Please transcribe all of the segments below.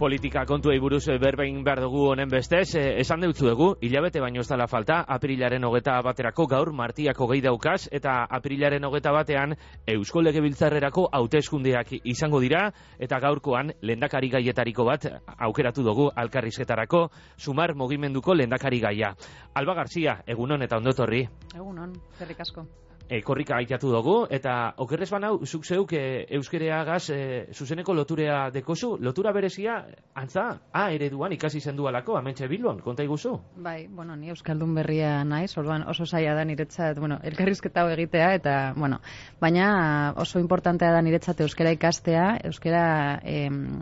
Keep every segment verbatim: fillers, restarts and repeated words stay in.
Politika kontuei buruz berbein behar dugu honen bestez, esan deutzu dugu, hilabete baino ez dela falta, aprilaren hogeta baterako gaur martiako gehi daukaz, eta aprilaren hogeta batean Eusko Legebiltzarrerako hauteskundeak izango dira, eta gaurkoan lehendakari gaietariko bat aukeratu dugu alkarrizketarako, Sumar mugimenduko lehendakari gaia. Alba Garzia, egunon eta ondotorri. Egunon, zerrik asko. E, korrika aitatu dugu, eta okerrez banau, zuk zeuk e, euskereagaz e, zuzeneko loturea dekozu, lotura berezia, antza, A ereduan ikasi zendualako, amentxe Bilbon, konta iguzu? Bai, bueno, ni euskaldun berria naiz, orduan oso zaila da niretzat, bueno, elkarrizketa hau egitea, eta, bueno, baina oso importantea da niretzat euskera ikastea, euskera em,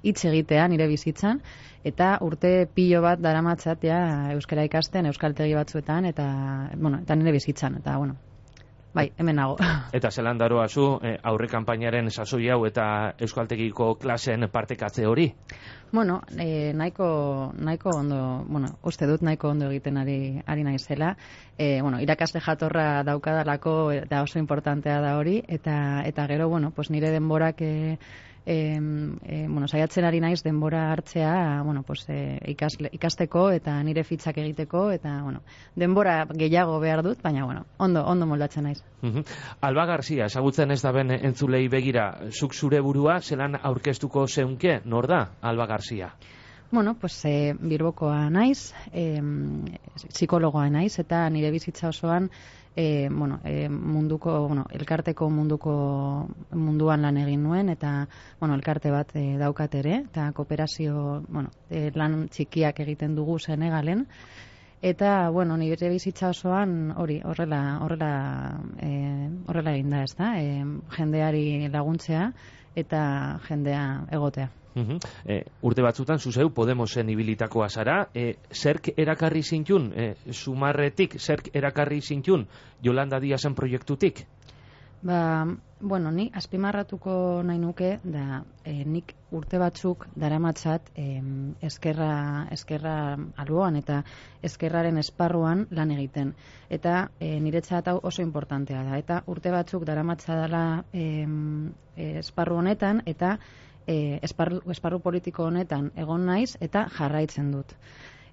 hitz egitea nire bizitzan, eta urte pilo bat daramatzatea ja, euskera ikasten, euskaltegi batzuetan, eta, bueno, eta nire bizitzan, eta, bueno, bai, hemen nago. Eta zelan daroa zu eh, aurre kanpainaren sasoi hau eta euskaltegiko klasen partekatze hori? Bueno, eh, nahiko, nahiko ondo, bueno, uste dut nahiko ondo egiten ari, ari naizela. Eh, bueno, irakasle jatorra daukadalako eta oso importantea da hori, eta, eta gero, bueno, pues nire denborak eh, E, e, bueno, saiatzen ari naiz denbora hartzea, bueno, pues, e, ikasle, ikasteko eta nire fitzak egiteko, eta bueno, denbora gehiago behar dut, baina bueno, ondo, ondo moldatzen naiz. Uh-huh. Alba Garzia, ezagutzen ez da ben entzulei begira, zuk zure burua zelan aurkeztuko zeunke, nor da Alba Garzia? Bueno, pues eh, Bilbokoa naiz, eh, psikologoa naiz, eta nire bizitza osoan E, bueno, e, munduko, bueno, elkarteko munduko munduan lan egin nuen, eta bueno, elkarte bat e, daukat ere, eta kooperazio, bueno, e, lan txikiak egiten dugu Senegalen, eta bueno, nire bizitza osoan hori, horrela, horrela, e, horrela egin da, ez da, e, jendeari laguntzea eta jendea egotea. Uhum. E, urte batzutan, zuzeu, Podemosen ibilitakoa zara, e, zerk erakarri zintun, e, Sumarretik, zerk erakarri zintun, Yolanda Díazen proiektutik? Ba, bueno, ni azpimarratuko nahi nuke, da, e, nik urte batzuk daramatzat e, eskerra, eskerra alboan eta eskerraren esparruan lan egiten. Eta e, niretzat hau oso importantea da. Eta urte batzuk daramatzadala e, esparru honetan, eta E, esparru, esparru politiko honetan egon naiz eta jarraitzen dut.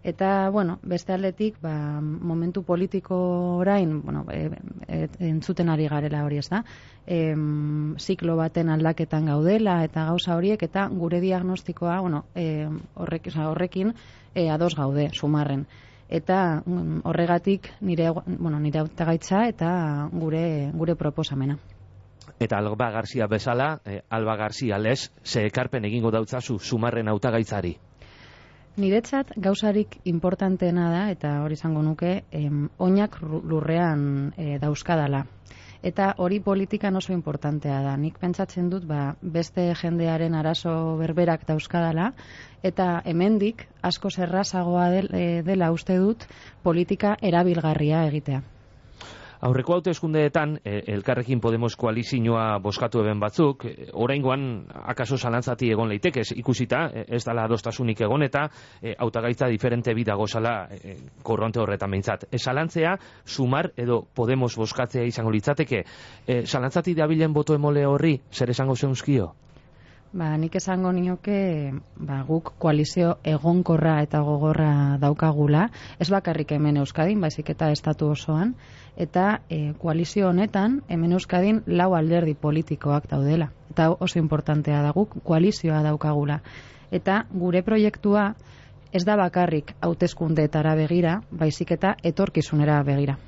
Eta, bueno, beste aldetik, ba, momentu politiko orain, bueno, e, e, entzuten ari garela hori, ez da, e, ziklo baten aldaketan gaudela eta gauza horiek, eta gure diagnostikoa, bueno, e, horrek, oza, horrekin e, ados gaude, Sumarren. Eta um, horregatik nire, bueno, nire hautagaitza eta gure, gure proposamena. Eta Alba Garzia bezala, eh, Alba Garzia lez, ze ekarpen egingo dautzazu Sumarren hautagaitzari? Niretzat gauzarik importanteena da, eta hori izango nuke, em, oinak lurrean e, dauzkadala. Eta hori politikan oso importantea da. Nik pentsatzen dut, ba, beste jendearen arazo berberak dauzkadala, eta hemendik asko errazagoa del, e, dela uste dut politika erabilgarria egitea. Aurreko hauteskundeetan, eh, Elkarrekin Podemos koalizioa bozkatu eben batzuk, eh, oraingoan akaso zalantzati egon leitekez, ikusita, eh, ez dala adostasunik egon, eta eh, hautagaitza diferente bidago zala eh, korronte horretan behintzat. E, zalantzea, Sumar edo Podemos bozkatzea izango litzateke, eh, zalantzati dabilen boto emole horri, zer esango zeunzkio? Ba, nik esango nioke, ba, guk koalizio egonkorra eta gogorra daukagula, ez bakarrik hemen Euskadin, baizik eta estatu osoan, eta e, koalizio honetan, hemen Euskadin lau alderdi politikoak daudela. Eta oso importantea da, guk koalizioa daukagula. Eta gure proiektua ez da bakarrik hauteskundeetara begira, baizik eta etorkizunera begira.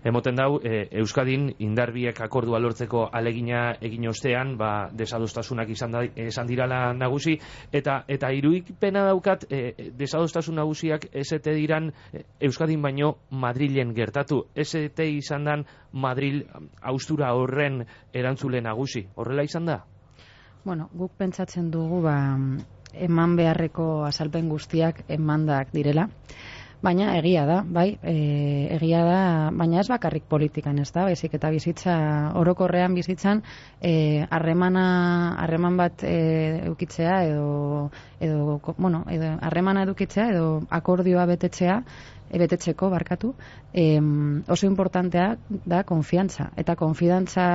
Emoten dau, e, Euskadin indarbiek akordua lortzeko alegina egin ostean, ba, desadostasunak izan, da, izan dirala nagusi, eta eta irudipena daukat, e, desadostasun nagusiak esete diran e, Euskadin baino Madrilen gertatu. Esete izan dan Madril haustura horren erantzule nagusi. Horrela izan da? Bueno, guk pentsatzen dugu, ba, eman beharreko azalpen guztiak emandak direla. Baina egia da, bai, e, egia da, baina ez bakarrik politikan, ez da, baizik eta bizitza, orokorrean bizitzan, harremana, e, harreman bat e, eukitzea, edo, edo, bueno, edo, harremana edukitzea, edo akordioa betetzea, e, betetzeko, barkatu, e, oso importantea da konfiantza. Eta konfidantza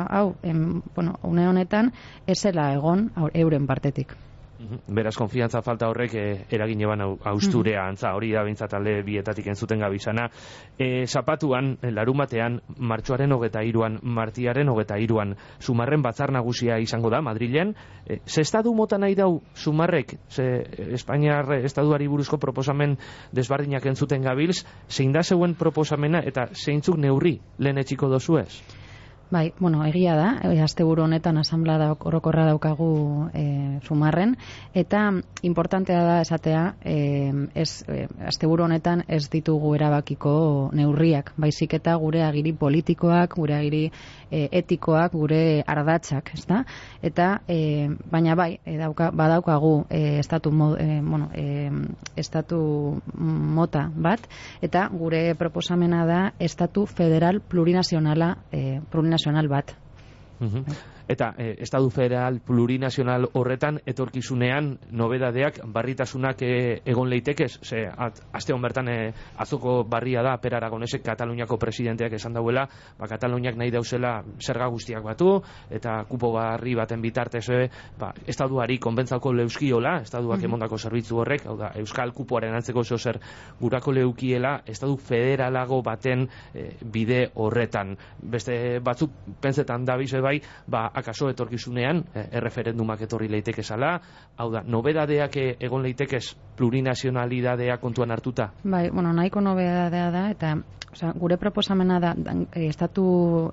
hau, em, bueno, une honetan, ezela egon euren partetik. Beraz, konfiantza falta horrek eh, eragin eban austurea antza, hori da bintzat alde bietatik entzuten gabizana. E, zapatuan, larumatean, martxoaren hogeta iruan, martiaren hogeta iruan, Sumarren batzar nagusia izango da, Madrilen. E, ze estadu mota nahi dau Sumarrek, ze Espainiar estaduari buruzko proposamen desbardinak entzuten gabilz, zein da zeuen proposamena eta zeintzuk neurri lehen etxiko dozuez? Bai, bueno, egia da, e, asteburu honetan asanblada orokorra daukagu e, Sumarren, eta importantea da esatea, e, ez, e, asteburu honetan ez ditugu erabakiko neurriak, baizik eta gure agiri politikoak, gure agiri e, etikoak, gure ardatzak, ezta? Eta, e, baina bai, e, dauka, badaukagu e, estatu, mo, e, bueno, e, estatu mota bat, eta gure proposamena da estatu federal plurinazionala, e, plurinazionala bat. Uh-huh. Eta eh, estadu federal plurinazional horretan etorkizunean nobedadeak, barritasunak eh, egon leitekez, ze at, aste hon bertan eh, azoko barria da Per Aragonesek Kataluniako presidenteak esan dauela, ba, Kataluniak nahi dauzela zerga guztiak batu eta kupo barri baten bitartez eh, ba, estaduari konbentzauko leuskiola, estaduak mm-hmm. emondako zerbitzu horrek, hau da, euskal kupoaren antzeko zer gurako leukiela estadu federalago baten eh, bide horretan. Beste batzuk pentsetan dabize bai, ba, akaso etorkizunean eh, erreferendumak etorri leiteke zala, hau da, nobedadeak egon leitekez plurinazionalidadea kontuan hartuta? Bai, bueno, nahiko nobedadea da, eta osea, gure proposamena da, da estatu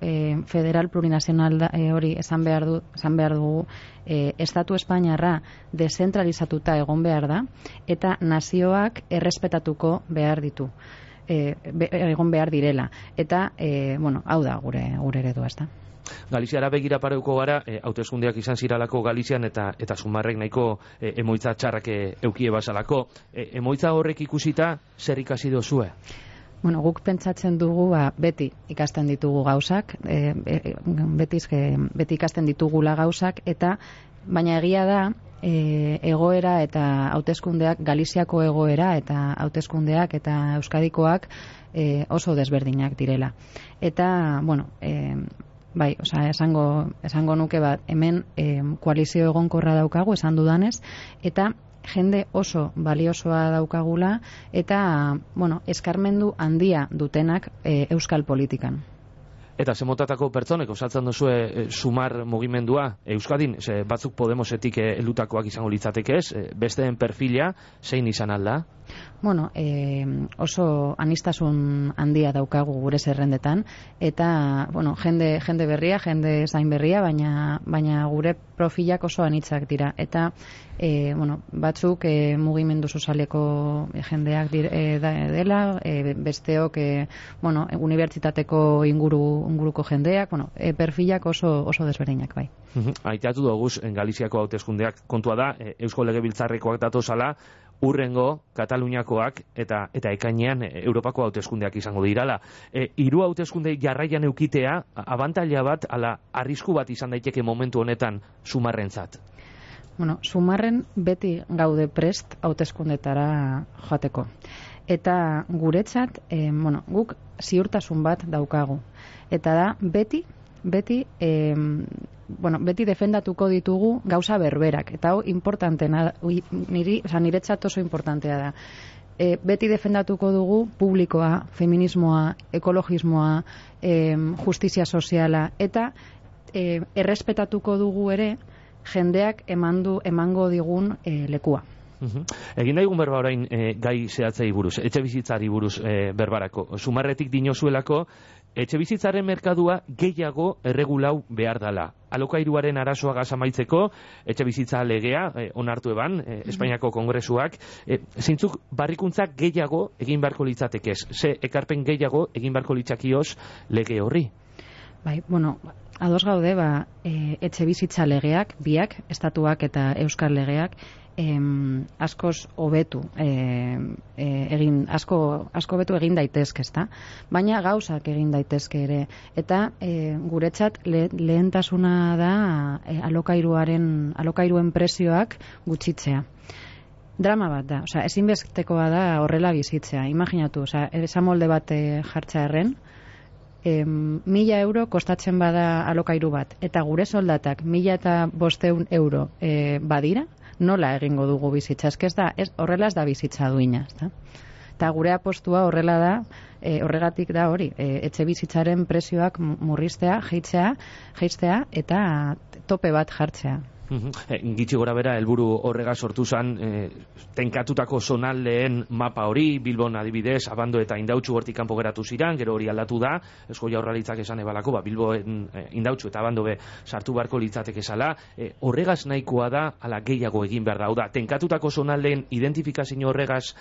eh, federal plurinazional da, eh, hori esan behar, du, esan behar dugu, eh, estatu espainiarra dezentralizatuta egon behar da, eta nazioak errespetatuko behar ditu. E, be, egon behar direla. Eta, e, bueno, hau da gure, gure eredua, ez da. Galiziara begira pareuko gara, e, hauteskundeak izan ziralako Galizian eta eta Sumarrek nahiko e, emoitza txarrak e, eukie basalako. E, emoitza horrek ikusita zer ikasi dozue? Bueno, guk pentsatzen dugu, ba, beti ikasten ditugu gauzak, e, e, beti, beti ikasten ditugula gauzak, eta baina egia da, e, egoera eta hauteskundeak, Galiziako egoera eta hauteskundeak eta Euskadikoak e, oso desberdinak direla. Eta, bueno, e, bai, osea, esango, esango nuke bat, hemen e, koalizio egonkorra daukagu, esan dudanez, eta jende oso baliosoa daukagula, eta, bueno, eskarmendu handia dutenak e, euskal politikan. Eta zemotatako pertsonek osatzen duzue e, Sumar mugimendua Euskadin, ze batzuk Podemosetik e, elutakoak izango litzatekez, e, besteen perfila zein izan alda? Bueno, e, oso anistasun handia daukagu gure zerrendetan, eta, bueno, jende, jende berria, jende zain berria, baina, baina gure profilak oso anitzak dira. Eta, e, bueno, batzuk e, mugimendu sozialeko jendeak dir, e, da, dela, e, besteok, e, bueno, unibertsitateko inguru, inguruko jendeak, bueno, e, perfilak oso, oso desberdinak, bai. Aitatu doguz, Galiziako hauteskundeak kontua da, e, Eusko Legebiltzarrekoak datozala, urrengo Kataluniakoak eta eta ekainean e, Europako hauteskundeak izango dirala. E, hiru hauteskunde jarraian eukitea abantaila bat ala arrisku bat izan daiteke momentu honetan Sumarrentzat. Bueno, Sumarren beti gaude prest hauteskundetara joateko. Eta guretzat, e, bueno, guk ziurtasun bat daukagu. Eta da beti beti e, bueno, beti defendatuko ditugu gauza berberak, eta hau importantena, niri, oza, niretzat oso importantea da. E, beti defendatuko dugu publikoa, feminismoa, ekologismoa, e, justizia soziala, eta e, errespetatuko dugu ere jendeak emandu, emango digun e, lekua. Uhum. Egin daigun berba orain e, gai zehatzei buruz, etxe bizitzari buruz e, berbarako. Sumarretik dinozuelako, etxe bizitzaren merkadua gehiago erregulau behar dala. Alokairuaren arazoa amaitzeko, etxe bizitza legea, e, onartu eban, e, Espainiako Kongresuak, e, zeintzuk barrikuntzak gehiago egin beharko litzatekez, ze ekarpen gehiago egin beharko litzakioz lege horri? Bai, bueno, ados gaude, ba, e, etxe bizitza legeak, biak, estatuak eta euskal legeak, em, askoz hobetu e, e, egin asko asko hobetu egin daitezke, ezta? Baina gauzak egin daitezke ere, eta e, guretzat le, lehentasuna da e, alokairuaren alokairuen prezioak gutxitzea. Drama bat da, osea, ezinbestekoa da horrela bizitzea. Imaginatu, osea, esamolde bat e, jartza erren, E, mila euro kostatzen bada alokairu bat, eta gure soldatak mila eta bosteun euro e, badira, nola egingo dugu bizitza. Ez ez da, ez, horrela ez da bizitza duina, ezta? Eta gure apostua horrela da, e, horregatik da hori, e, etxe bizitzaren prezioak murriztea, jeitzea, jeistea eta tope bat jartzea. E, gitxi gora bera, helburu horrega sortu zen e, tenkatutako zonaldeen mapa hori, Bilbon adibidez, Abando eta Indautxu hortik kanpo geratu ziran, gero hori aldatu da, Eusko Jaurlaritzak esan ebalako, ba, Bilboen e, Indautxu eta Abando be sartu beharko litzateke zala, e, horregaz nahikoa da, ala gehiago egin behar da, da, tenkatutako zonaldeen identifikazio horregaz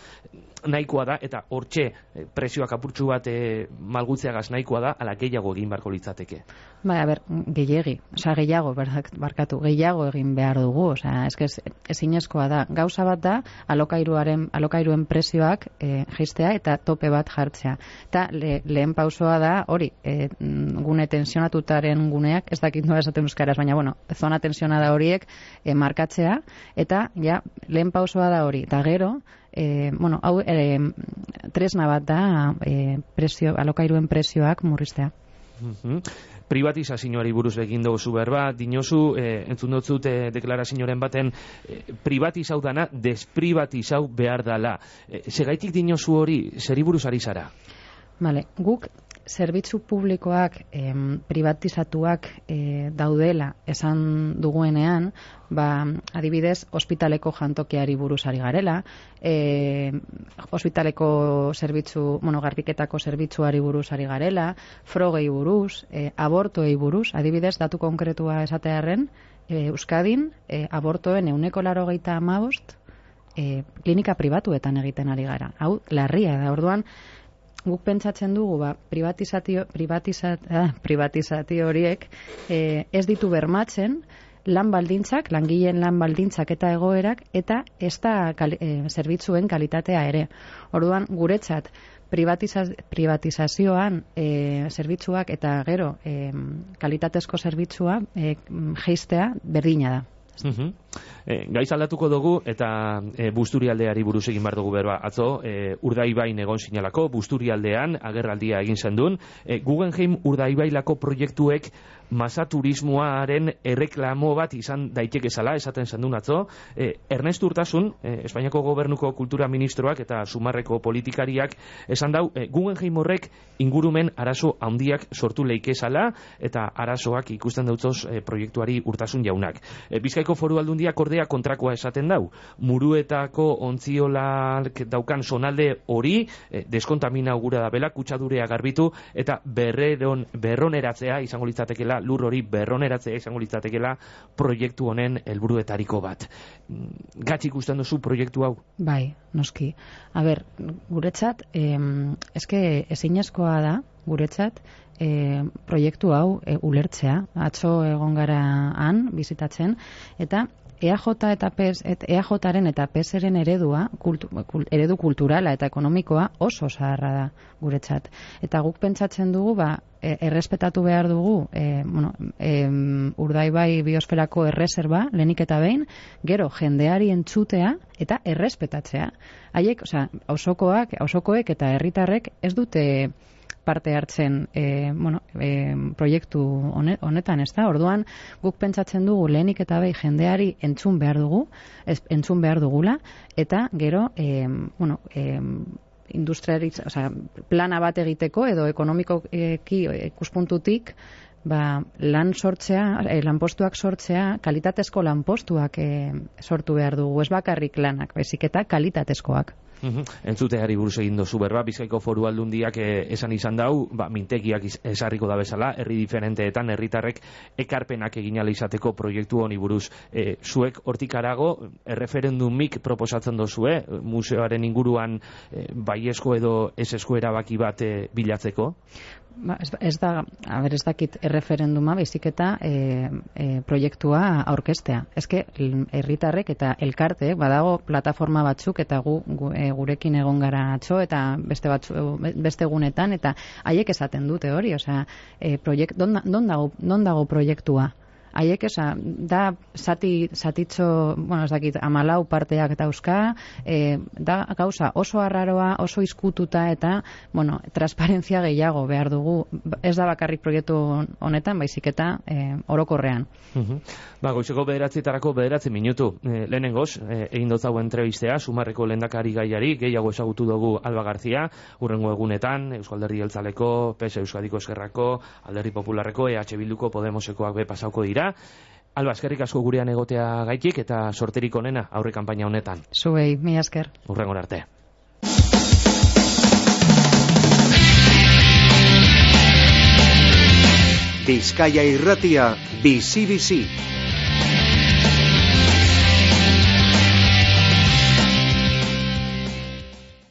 nahikoa da, eta hortxe e, prezioak apurtxu bat e, malgutzeagaz nahikoa da, ala gehiago egin beharko litzateke. Bai, a ber, gehiegi, oza, gehiago, barkatu, gehiago egin behar dugu, oza, eske ezinezkoa da. Gauza bat da, alokairuaren, alokairuen prezioak e, jeistea eta tope bat jartzea. Eta le, lehen pausoa da, hori, e, gune tensionatutaren guneak, ez dakit nola esaten euskaraz, baina, bueno, zona tensionada horiek e, markatzea, eta, ja, lehen pausoa da hori, eta gero, E, bueno, hau e, tresna bat da e, prezio, alokairuen prezioak murriztea. Mm-hmm. Privatizazioari buruz egin dugu berba, dinozu, e, entzun dutzut e, deklarazioaren baten, e, privatizau dana, desprivatizau behar dala. E, segaitik dinozu hori, zeri buruz ari zara? Vale, guk zerbitzu publikoak em, privatizatuak e, daudela esan duguenean, ba, adibidez, ospitaleko jantokiari buruz ari garela, e, ospitaleko zerbitzu, bueno, garbiketako zerbitzuari buruz ari garela, frogei buruz, e, abortoei buruz, adibidez, datu konkretua esatearren, e, Euskadin, e, abortoen euneko laurogeita hamabost e, klinika pribatuetan egiten ari gara. Hau, larria da, orduan, guk pentsatzen dugu, ba, privatizatio, privatizat, ah, privatizatio horiek eh, ez ditu bermatzen lan baldintzak, langileen lan baldintzak eta egoerak, eta ez da kal, eh, zerbitzuen kalitatea ere. Orduan, guretzat, privatiza, privatizazioan eh, zerbitzuak eta gero eh, kalitatezko zerbitzua eh, jeistea berdina da. Uh-huh. E, gaiz aldatuko dugu eta e, Busturialdeari buruz egin behar dugu berba. Atzo, e, Urdaibain egon sinalako, Busturialdean agerraldia egin zendun. E, Guggenheim Urdaibailako proiektuek masa turismoaren erreklamo bat izan daiteke zala, esaten zendun atzo. E, Ernest Urtasun, e, Espainiako Gobernuko Kultura Ministroak eta Sumarreko politikariak esan dau, e, Guggenheim horrek ingurumen arazo handiak sortu leike zala, eta arazoak ikusten dautzoz e, proiektuari Urtasun jaunak. E, Bizkaiko Foru Aldundiak ordea kontrakoa esaten dau. Muruetako ontziolak daukan zonalde hori e, deskontamina gura da bela, kutsadurea garbitu eta berreron, berroneratzea izango litzatekela, lur hori berroneratzea izango litzatekela proiektu honen helburuetariko bat. Gatz ikusten duzu proiektu hau? Bai, noski. A ber, guretzat, eh, eske ezinezkoa da, guretzat, E, proiektu hau e, ulertzea. Atzo egon gara han bizitatzen, eta E A J eta P E S, et, E A Jaren eta P E Sren eredua, kultu, kul, eredu kulturala eta ekonomikoa oso zaharra da guretzat. Eta guk pentsatzen dugu, ba, e, errespetatu behar dugu e, bueno, e, Urdaibai biosferako erreserba, lehenik eta behin, gero jendeari entzutea eta errespetatzea. Haiek, osea, auzokoak, auzokoek eta herritarrek ez dute parte hartzen e, bueno, e, proiektu honetan, ez da? Orduan, guk pentsatzen dugu lehenik eta behi jendeari entzun behar dugu, ez, entzun behar dugula, eta gero, e, bueno, e, industriaritz, o sea, plana bat egiteko edo ekonomikoki ikuspuntutik, ba, lan sortzea, e, lanpostuak sortzea, kalitatezko lanpostuak e, sortu behar dugu, ez bakarrik lanak, baizik eta kalitatezkoak. Uhum. Entzuteari buruz egin dozu berba, Bizkaiko Foru Aldundiak eh, esan izan dau, ba, mintegiak esarriko da bezala, herri diferenteetan herritarrek ekarpenak egin ala izateko proiektu honi buruz. Eh, zuek hortik arago, erreferendumik proposatzen dozue, museoaren inguruan eh, baiezko edo ezesko erabaki bat eh, bilatzeko? Ba, ez, ez da, a ber, ez dakit erreferenduma, baizik eta e, e, proiektua aurkeztea. Ezke, herritarrek eta elkarte, badago plataforma batzuk, eta gu, gu e, gurekin egon gara atzo, eta beste batzu, beste egunetan, eta haiek esaten dute hori, osea, e, proiekt, don, don, dago, don dago proiektua? haiek, esa, da zati, zatitxo, bueno, ez dakit, amalau parteak dauzka, e, da gauza oso arraroa, oso izkututa eta, bueno, transparentzia gehiago behar dugu, ez da bakarrik proiektu honetan, baizik eta e, orokorrean. Uh-huh. Ba, goizeko bederatzietarako bederatzi minutu. E, lehenengoz, e, egin dotzago entrevistea, Sumarreko lehendakari gaiari, gehiago ezagutu dugu Alba Garzia, urrengo egunetan, Euskal Alderdi Jeltzaleko, P S Euskadiko Eskerrako, Alderdi Popularreko, E H Bilduko, Podemosekoak be pasauko dira. Alba, eskerrik asko gurean egotea gaitik eta sorterik onena aurre kanpaina honetan. Zuei, mila esker. Urrengor arte. Bizkaia Irratia, bizi-bizi.